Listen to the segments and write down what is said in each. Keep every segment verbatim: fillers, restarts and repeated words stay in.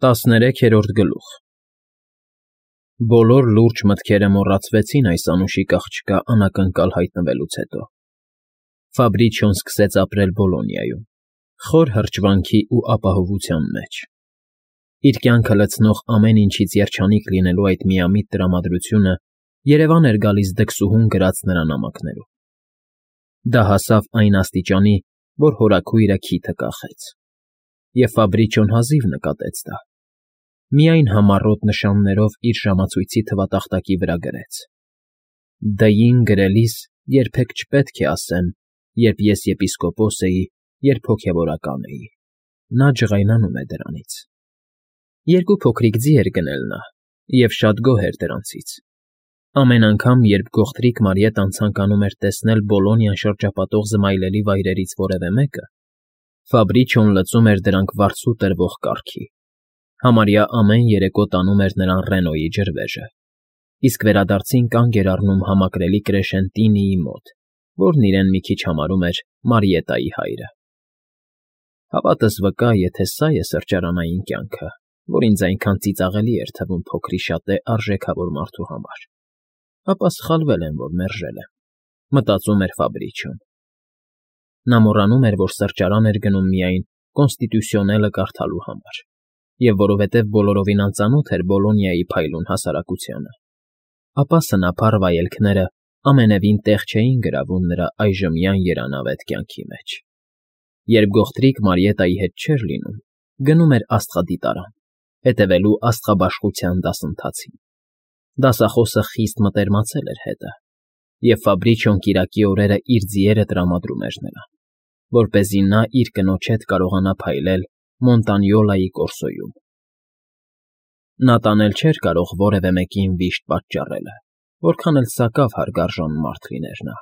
Տասներեքերորդ գլուխ Բոլոր լուրջ մտքերը մոռացվեցին այս անուշիկ աղջկա անակնկալ հայտնվելուց հետո. Ֆաբրիչիոն սկսեց ապրել Բոլոնիայում, խոր հրճվանքի ու ապահովության մեջ. իր կյանքը լցնող ամեն ինչից երջանիկ լինելու այդ միամիտ տրամադրությունը երևան էր գալիս դքսուհուն գրած նրա նամակներում. դա հասավ այն աստիճանի, որ հորաքույրը քիթը կախեց, և Ֆաբրիչիոն հազիվ նկատեց դա, միայն համառոտ նշաններով իր ժամացույցի թվատախտակի վրա գրեց. «Դ֊ին գրելիս երբեք չպետք է ասեմ, երբ ես եպիսկոպոս էի, երբ հոգևորական էի»։ Նա ջղայնանում է դրանից։ Երկու փոքրիկ ձի էր գնել նա, և շատ գոհ էր դրանցից. ամեն անգամ, երբ գողտրիկ Մարիետան ցանկանում էր տեսնել Բոլոնիան շրջապատող զմայլելի վայրերից որևէ մեկը, Ֆաբրիչիոն լուծում էր դրանք վարձու տրվող կառքի, համարյա ամեն երեկո տանում էր նրան Ռենոյի ջրվեժը, իսկ վերադարձին կանգ էր առնում համակրելի Կրեշենտինիի մոտ, որն իրեն մի քիչ համարում էր Մարիետայի հայրը։ Հավատս վկա, եթե սա է սրճարանային կյանքը, որ ինձ այնքան ծիծաղելի էր թվում փոքրիշատե արժեքավոր մարդու համար, ապա սխալվել եմ, որ մերժել եմ, մտածում էր Ֆաբրիչիոն։ Նա մոռանում էր, որ սրճարան էր գնում միայն Կոնստիտուցիոնելը կարդալու համար, և որովհետև բոլորովին անծանոթ էր Բոլոնիայի փայլուն հասարակությանը, ապա սնափառ վայելքները ամենևին տեղ չէին գրավում նրա այժմյան երանավետ կյանքի մեջ։ Երբ գողտրիկ Մարիետայի հետ չէր լինում, գնում էր աստղադիտարան, հետևելու աստղաբաշխության դասընթացին։ Դասախոսը խիստ մտերմացել էր հետը, և Ֆաբրիչիոն կիրակի օրերը իր ձիերը տրամադրում էր նրան, որպեսզի նա իր կնոջ հետ կարողանա փայլել Մոնտանյոլայի կորսոյում։ Նա տանել չէր կարող որևէ մեկին վիշտ պատճառելը, որքան էլ սակավ հարգարժան մարդ լիներ նա։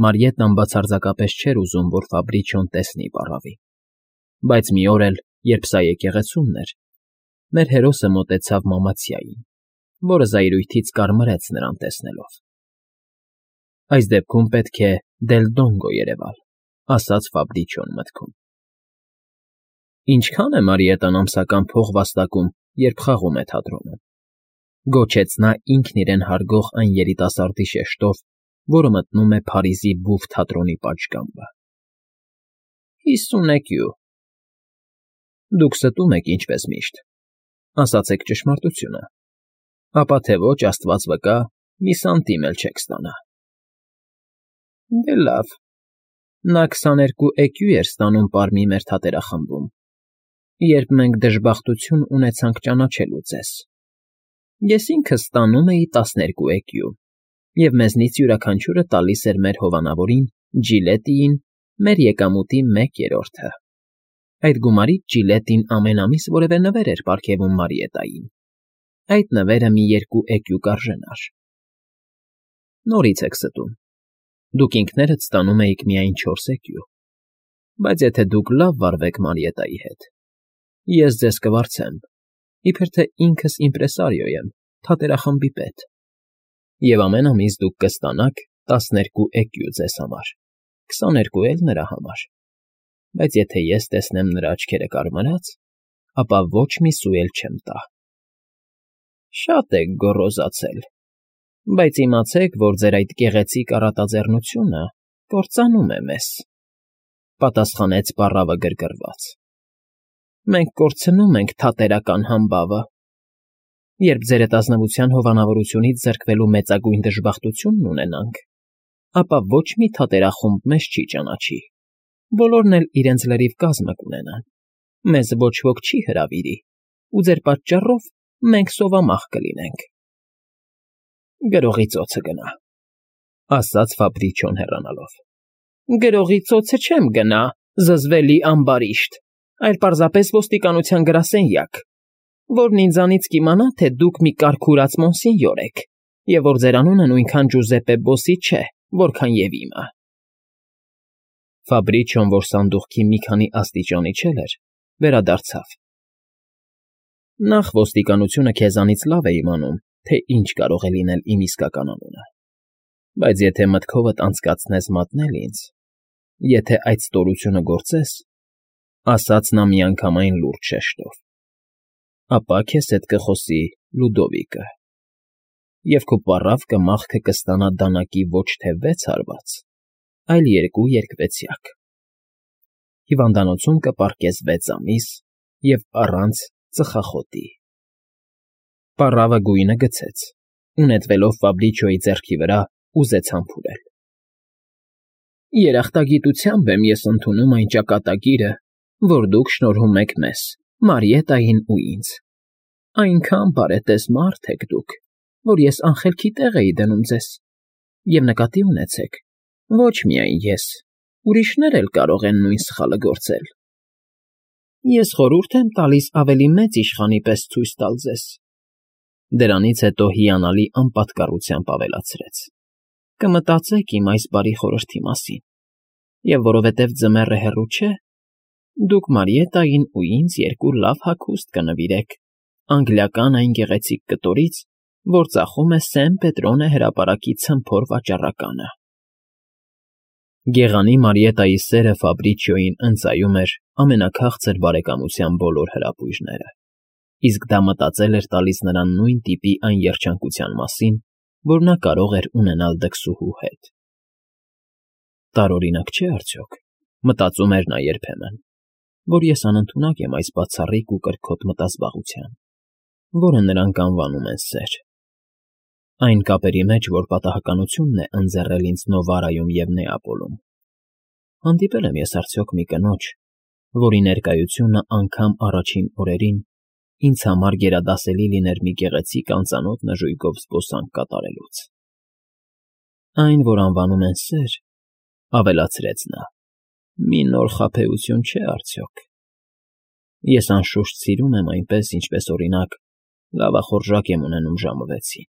Մարիետան բացարձակապես չէր ուզում, որ Ֆաբրիչիոն տեսնի պառավին, բայց մի օր էլ, երբ սա եկեղեցումն էր, մեր հերոսը մոտեցավ Մամացյային, որը զայրույթից կարմրեց նրան տեսնելով։ «Այս դեպքում պետք է Դել Դոնգո երևալ», ասաց Ֆաբրիչիոն մտքում։ «Ինչքա՞ն է Մարիետան ամսական փող վաստակում, երբ խաղում է թատրոնում», գոչեց նա ինքն իրեն հարգող այն երիտասարդի շեշտով, որը մտնում է Փարիզի Բուֆ թատրոնի պատշգամբը։ «Հիսուն էկյու»։ Դուք ստում եք, ինչպես միշտ, ասացեք ճշմարտությունը, ապա թե ոչ, աստված վկա, մի սանտիմ էլ չեք ստանա։ Դե լավ, նա քսաներկու էկյու էր ստանում պարմի մեր թատերախմբում, երբ մենք դժբախտություն ունեցանք ճանաչելու ձեզ։ Ես ինքս ստանում էի տասներկու էկյու, և մեզնից յուրաքանչյուրը տալիս էր մեր հովանավորին Ջիլետիին մեր եկամուտի մեկ երրորդը։ Այդ գումարից Ջիլետին ամեն ամիս որևէ նվեր էր պարգևում Մարիետային։ Այդ նվերը մի երկու էկյու կարժենար։ Նորից եք ստում։ Դուք ինքներդ ստանում էիք միայն չորս էկյու, բայց եթե դուք լավ վարվեք Մարիետայի հետ, ես ձեզ կվարձեմ, իբր թե ինքս իմպրեսարիո եմ, թատերախմբի պետ, և ամեն ամիս դուք կստանաք տասներկու էկյու ձեզ համար, քսաներկու էլ նրա համար, բայց եթե ես տեսնեմ նրա աչքերը կարմրած, ապա ոչ մի սու էլ չեմ տա։ Շատ եք գոռոզացել, բայց իմացեք, որ ձեր այդ գեղեցիկ առատաձեռնությունը կործանում է մեզ, պատասխանեց պառավը գրգռված։ Մենք կորցնում ենք թատերական համբավը։ Երբ ձերետազնվության հովանավորությունից զրկվելու մեծագույն դժբախտությունն ունենանք, ապա ոչ մի թատերախումբ մեզ չի ճանաչի, բոլորն էլ իրենց լրիվ կազմը կունենան, մեզ ոչ ոք չի հրավիրի, ու ձեր պատճառով մենք սովամահ կլինենք։ Գրողի ծոցը գնա, ասաց Ֆաբրիչիոն հեռանալով։ Գրողի ծոցը չեմ գնա, զզվելի ամբարիշտ, այլ պարզապես ոստիկանության գրասենյակ, որն ինձանից կիմանա, թե դուք մի կարգուրած մոնսինյոր եք, և որ ձեր անունը նույնքան Ջուզեպպե Բոսի չէ, որքան և իմը։ Ֆաբրիչիոն, որ սանդուղքի մի քանի աստիճան իջել էր, վերադարձավ։ Նախ ոստիկանությունը քեզանից լավ է իմանում, թե ինչ կարող է լինել իմ իսկական անունը, բայց եթե մտքովդ անցկացնես մատնել ինձ, եթե այդ ստորությունը գործես, ասաց նա միանգամայն լուրջ շեշտով, ապա քեզ հետ կխոսի Լուդովիկը, և քո պառավքը մաղքը կստանա դանակի ոչ թե վեց հարված, այլ երկու երկվեցյակ. հիվանդանոցում կպառկես վեց ամիս և առանց ծխախոտի։ Պառավը գույնը գցեց ու նետվելով Ֆաբրիչոյի ձեռքի վրա ուզեց համբուրել։ Երախտագիտությամբ եմ ես ընդունում այն ճակատագիրը, որ դուք շնորհում եք մեզ, Մարիետային ու ինձ. այնքան բարետես մարդ եք դուք, որ ես անխելքի տեղ էի դնում ձեզ, և նկատի ունեցեք, ոչ միայն ես, ուրիշներ էլ կարող են նույն սխալը գործել։ Ես խորհուրդ եմ տալիս ավելի մեծ իշխանի պես ցույց տալ ձեզ։ Դրանից հետո հիանալի անպատկառությամբ ավելացրեց. կմտածեք իմ այս բարի խորհրդի մասին, և որովհետև ձմեռը հեռու չէ, դուք Մարիետային ու ինձ երկու լավ հագուստ կնվիրեք անգլիական այն գեղեցիկ կտորից, որ ծախում է Սեն Պետրոնե հրապարակի ցմփոր վաճառականը։ Գեղանի Մարիետայի սերը Ֆաբրիչիոյին ընծայում էր ամենաքաղցր բարեկամության բոլոր հրապույժները, իսկ դա մտածել էր տալիս նրան նույն տիպի այն երջանկության մասին, որ նա կարող էր ունենալ դքսուհու հետ։ Տարօրինակ չէ՞ արդյոք, մտածում էր նա երբեմն, որ ես անընդունակ եմ այս բացառիկ ու կրքոտ մտազբաղության, որը նրանք անվանում են սեր։ Այն կապերի մեջ, որ պատահականությունն է ընձեռել ինձ Նովարայում և Նեապոլում։ Հանդիպել եմ ես արդյոք մի կնոջ, որի ներկայությունը անգամ առաջին օրերին ինձ համար գերադասելի լիներ մի գեղեցիկ անծանոթ նժույգով զբոսանք կատարելուց։ Այն, որ անվանում են սեր, ավելացրեց նա, մի նոր խաբեություն չէ արդյոք։ Ես անշուշտ սիրում եմ այնպես, ինչպես, օրինակ, լավախորժակ եմ ունենում ժամը վեցին։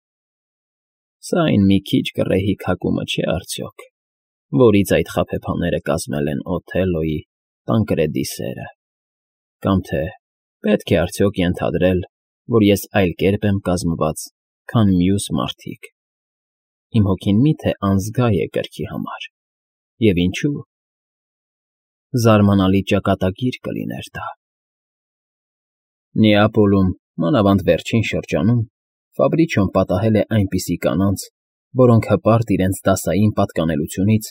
Սա այն մի քիչ կռեհիկ հակումը չէ արդյոք, որից այդ խաբեբաները կազմել են Օթելլոյի Տանկրեդի սերը, կամ թե պետք է արդյոք ենթադրել, որ ես այլ կերպ եմ կազմված, քան մյուս մարդիկ։ Իմ հոգին մի՞թե անզգա է կրքի համար, և ինչու՞։ Զարմանալի ճակատագիր կլիներ դա։ Նեապոլում, մանավանդ վերջին շրջանում, Ֆաբրիչոն պատահել է այնպիսի կանանց, որոնք հպարտ իրենց դասային պատկանելությունից,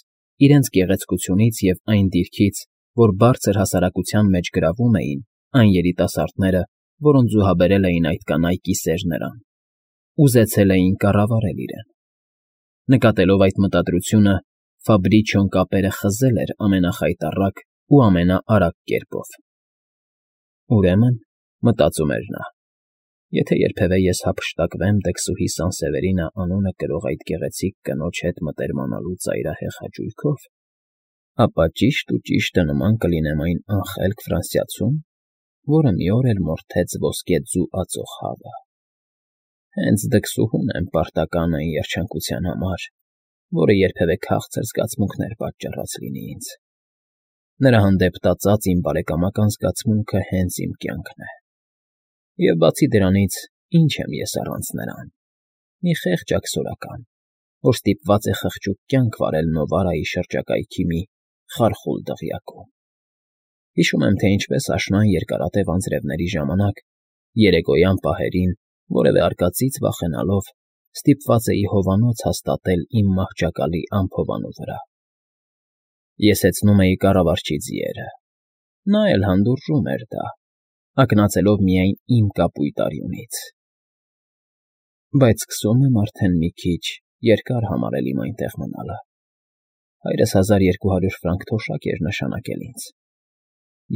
իրենց գեղեցկությունից և այն դիրքից, որ բարձր հասարակության մեջ գրավում էին այն երիտասարդները, որոնց զուհաբերել էին այդ կանայք ի սեր նրան, ուզեցել էին կառավարել իրեն։ Նկատելով այդ մտադրությունը, Ֆաբրիչոն կապերը խզել էր ամենախայտառակ ու ամենաարագ կերպով։ Ուրեմն, մտածում էր նա, եթե երբևէ ես հափշտակվեմ դքսուհի Սանսևերինը անունը կրող այդ գեղեցիկ կնոջ հետ մտերմանալու ծայրահեղ հաճույքով, ապա ճիշտ ու ճիշտը նման կլինեմ այն անխելք ֆրանսիացուն, որը մի օր էլ մորթեց ոսկե ձու ածող հավը։ Հենց դքսուհուն եմ պարտական այն երջանկության համար, որը երբևէ քաղցր զգացմունքներ պատճառած լինի ինձ։ Նրա հանդեպ տածած իմ բարեկամական զգացմունքը հենց իմ կյանքն է։ Եվ բացի դրանից, ինչ եմ ես առանց նրան, մի խեղճ աքսորական, որ ստիպված է խղճուկ կյանք վարել Նովարայի շրջակայքի մի խարխուլ դղյակում։ Հիշում եմ, թե ինչպես աշնան երկարատև անձրևների ժամանակ, երեկոյան պահերին, որևէ արկածից վախենալով, ստիպված էի հովանոց հաստատել իմ մահճակալի անփովանու վրա։ Ես հեծնում էի կառավարչի ձիերը, նա էլ հանդուրժում էր դա, ակնածելով միայն իմ կապույտ արյունից։ Բայց սկսում եմ արդեն մի քիչ երկար համարել իմ այնտեղ մնալը։ Հայրս հազար երկու հարյուր ֆրանկ թոշակ էր նշանակել ինձ,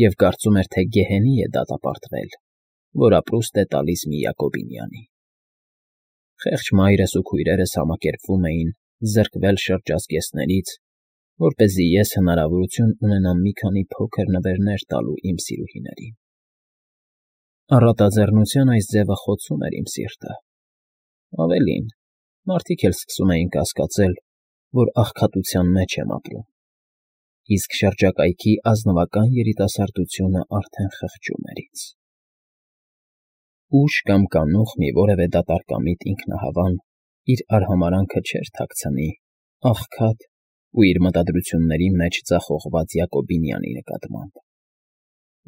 և կարծում էր, թե գեհենի է դատապարտվել, որ ապրուստ է տալիս մի Յակոբինյանի։ Խեղճ մայրս ու քույրերս համակերպվում էին զրկվել շրջազգեստներից, որպեսզի ես հնարավորություն ունենամ մի քանի փոքր նվերներ տալու իմ սիրուհիներին։ Առատաձեռնության այս ձևը խոցում էր իմ սիրտը։ Ավելին, մարդիկ էլ սկսում էին կասկածել, որ աղքատության մեջ եմ ապրում, իսկ շրջակայքի ազնվական երիտասարդությունը արդեն խղճում էր ինձ։ Ուշ կամ կանուխ մի որևէ դատարկամիտ ինքնահավան իր արհամարանքը չէր թաքցնի աղքատ ու իր մտադրությունների մեջ ձախողված Յակոբինյանի նկատմամբ,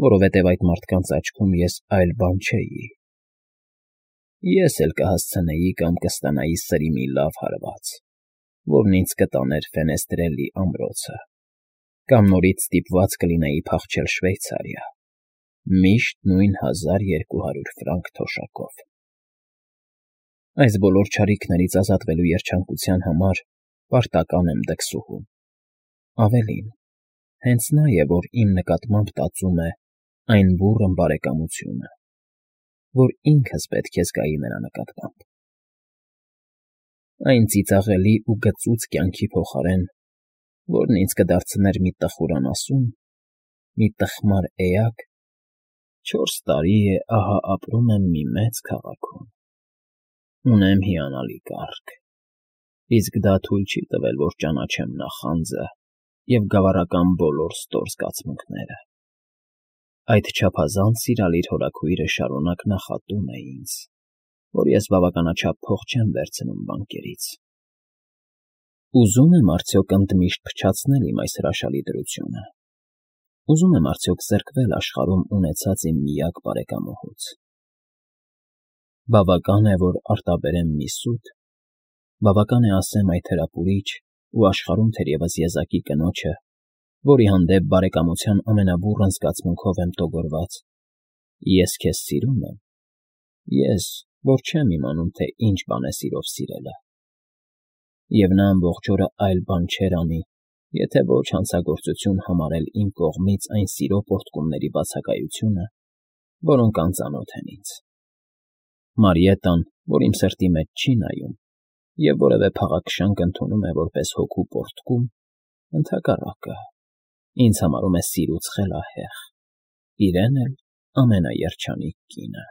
որովհետև այդ մարդկանց աչքում ես այլ բան չէի, Ես էլ կհասցնեի կամ կստանայի սրի մի լավ հարված, որն ինձ կտաներ Ֆենեստրելի ամրոցը, կամ նորից ստիպված կլինեի փախչել Շվեյցարիա, միշտ նույն հազար երկու հարյուր ֆրանկ թոշակով։ Այս բոլոր չարիքներից ազատվելու երջանկության համար պարտական եմ դքսուհուն։ Ավելին, հենց նա է, որ իմ նկատմամբ տածում է այն բուռն բարեկամությունը, որ ինքս պետք է զգայի նրա նկատմամբ։ Այն ծիծաղելի ու գծուծ կյանքի փոխարեն, որն ինձ կդարձներ մի տխուր անասուն, մի տխմար էակ, չորս տարի է ահա ապրում եմ մի մեծ քաղաքում, ունեմ հիանալի կառք, իսկ դա թույլ չի տվել, որ ճանաչեմ նախանձը և գավառական բոլոր ստոր զգացմունքները։ Այդ չափազանց սիրալիր հորաքույրը շարունակ նախատում է ինձ, որ ես բավականաչափ փող չեմ վերցնում բանկերից։ Ուզում եմ արդյոք ընդմիշտ փչացնել իմ այս հրաշալի դրությունը, ուզում եմ արդյոք զրկվել աշխարհում ունեցած իմ միակ բարեկամուհուց։ Բավական է, որ արտաբերեմ մի սուտ, բավական է ասեմ այդ հրապուրիչ ու աշխարհում թերևս եզակի կնոջը, որի հանդեպ բարեկամության ամենաբուռն զգացմունքով եմ տոգորված. ես քեզ սիրում եմ, ես, որ չեմ իմանում, թե ինչ բան է սիրով սիրելը։ Եվ նա ամբողջ օրը այլ բան չէր անի, եթե ոչ հանցագործություն համարել իմ կողմից այն սիրո պոռթկումների բացակայությունը, որոնք անծանոթ են ինձ։ Մարիետան, որ իմ սրտի մեջ չի նայում և որևէ փաղաքշանք ընդունում է որպես հոգու պոռթկում, ընդհակառակը, ինձ համարում է սիրուց խելահեղ, իրեն էլ ամենաերջանիկ կինը։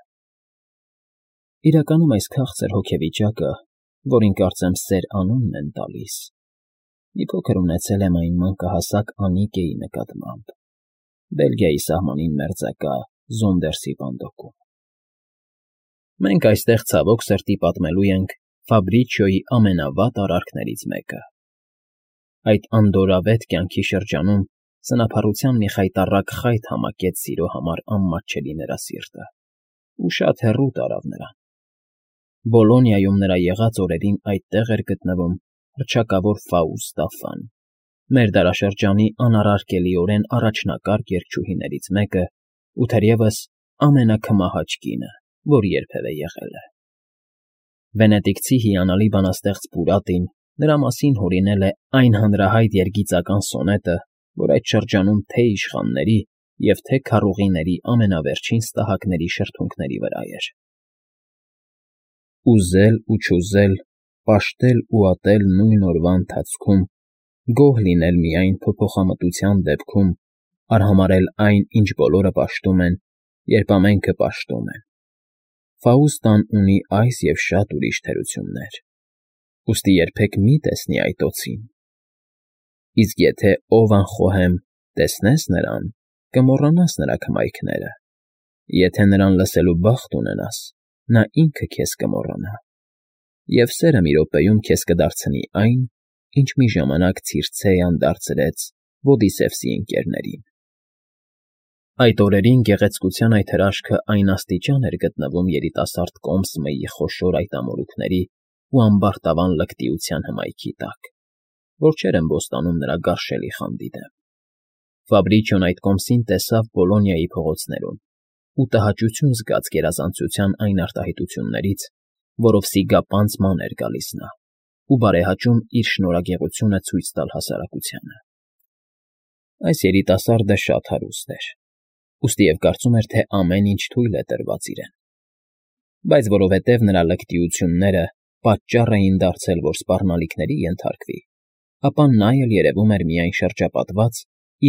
Իրականում այս քաղցր հոգեվիճակը, որին կարծեմ սեր անունն են տալիս, մի փոքր ունեցել եմ այն մանկահասակ Անիկեի նկատմամբ, Բելգիայի սահմանին մերձակա Զոնդերսի բանդոկում։ Մենք այստեղ ցավոք սրտի պատմելու ենք Ֆաբրիչիոյի ամենավատ արարքներից մեկը։ Այդ անդորրավետ կյանքի շրջանում սնափառության մի խայտառակ խայթ համակեց սիրո համար անմատչելի նրա սիրտը ու շատ հեռու տարավ նրան։ Բոլոնիայում նրա եղած օրերին այդտեղ էր գտնվում հռչակավոր Ֆաուստա Ֆան, մեր դարաշրջանի անառարկելիորեն առաջնակարգ երգչուհիներից մեկը ու թերևս ամենաքմահաճ կինը, որ երբևէ եղել է։ Վենետիկցի հիանալի բանաստեղծ Պուրատին նրա մասին հորինել է այն հանրահայտ երգիծական սոնետը, որ այդ շրջանում թե՛ իշխանների և թե՛ քարուղիների ամենավերջին ստահակների շրթունքների վրա էր. Ուզել ու չուզել, պաշտել ու ատել նույն օրվա ընթացքում, գոհ լինել միայն փոփոխամտության դեպքում, արհամարհել այն, ինչ բոլորը պաշտում են, երբ ամենքը պաշտում են։ Ֆաուստան ունի այս և շատ ուրիշ թերություններ, ուստի երբեք մի տեսնի այդ օձին։ Իսկ եթե ով անխոհեմ տեսնես նրան, կմոռանաս նրա քմայքները, եթե նրան լսելու բախտ ունենաս, նա ինքը քեզ կմոռանա, և սերը մի րոպեում քեզ կդարձնի այն, ինչ մի ժամանակ Ցիրցեյան դարձրեց Ոդիսևսի ընկերներին։ Այդ օրերին գեղեցկության այդ հրաշքը այն աստիճան էր գտնվում երիտասարդ կոմսմեի խոշոր այտամորուքների ու ամբարտավան լկտիության հմայքի տակ, որ չէր ըմբոստանում նրա գարշելի խանդի դեմ։ Ֆաբրիչիոն այդ կոմսին տեսավ Բոլոնիայի փողոցներում ու տհաճություն զգաց գերազանցության այն արտահայտություններից, որով սիգապանծ ման էր գալիս նա, ու բարեհաճում իր շնորհագեղությունը ցույց տալ հասարակությանը։ Այս երիտասարդը շատ հարուստ էր, ուստի և կարծում էր, թե ամեն ինչ թույլ է տրված իրեն։ Բայց որովհետև նրա լկտիությունները պատճառ էին դարձել, որ սպառնալիքների ենթարկվի, ապա նա էլ երևում էր միայն շրջապատված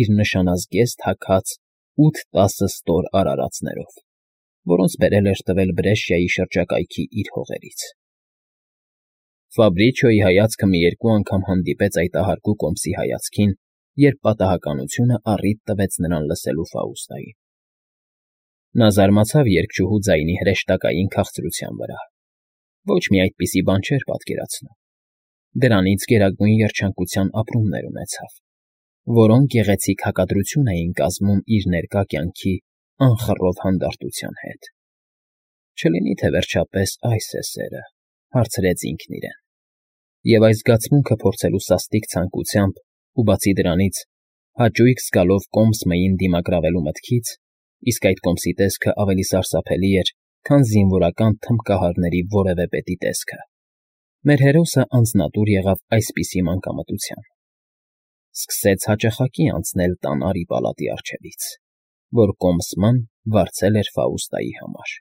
իր նշանազգեստ հագած ութ֊տասը ստոր արարածներով, որոնց բերել էր տվել Բրեշիայի շրջակայքի իր հողերից։ Ֆաբրիչիոյի հայացքը մի երկու անգամ հանդիպեց այդ ահարկու կոմսի հայացքին, երբ պատահականությունը առիթ տվեց նրան լսելու Ֆաուստային։ Նա զարմացավ երգչուհու ձայնի հրեշտակային քաղցրության վրա։ Ոչ մի այդպիսի բան չէր պատկերացնում։ Դրանից գերագույն երջանկության ապրումներ ունեցավ, որոնք գեղեցիկ հակադրություն էին կազմում իր ներկա կյանքի անխռով հանդարտության հետ։ Չլինի՞ թե վերջապես այս է սերը, հարցրեց ինքն իրեն, և այս զգացմունքը փորձելու սաստիկ ցանկությամբ ու, բացի դրանից, հաճույք զգալով կոմս Մըին դիմագրավելու մտքից (իսկ այդ կոմսի տեսքը ավելի սարսափելի էր, քան զինվորական թմբկահարների որևէ պետի տեսքը), մեր հերոսը անձնատուր եղավ այսպիսի մանկամտության. սկսեց հաճախակի անցնել տան արի պալատի առջևից, որ կոմս Մ֊ն վարձել էր Ֆաուստայի համար։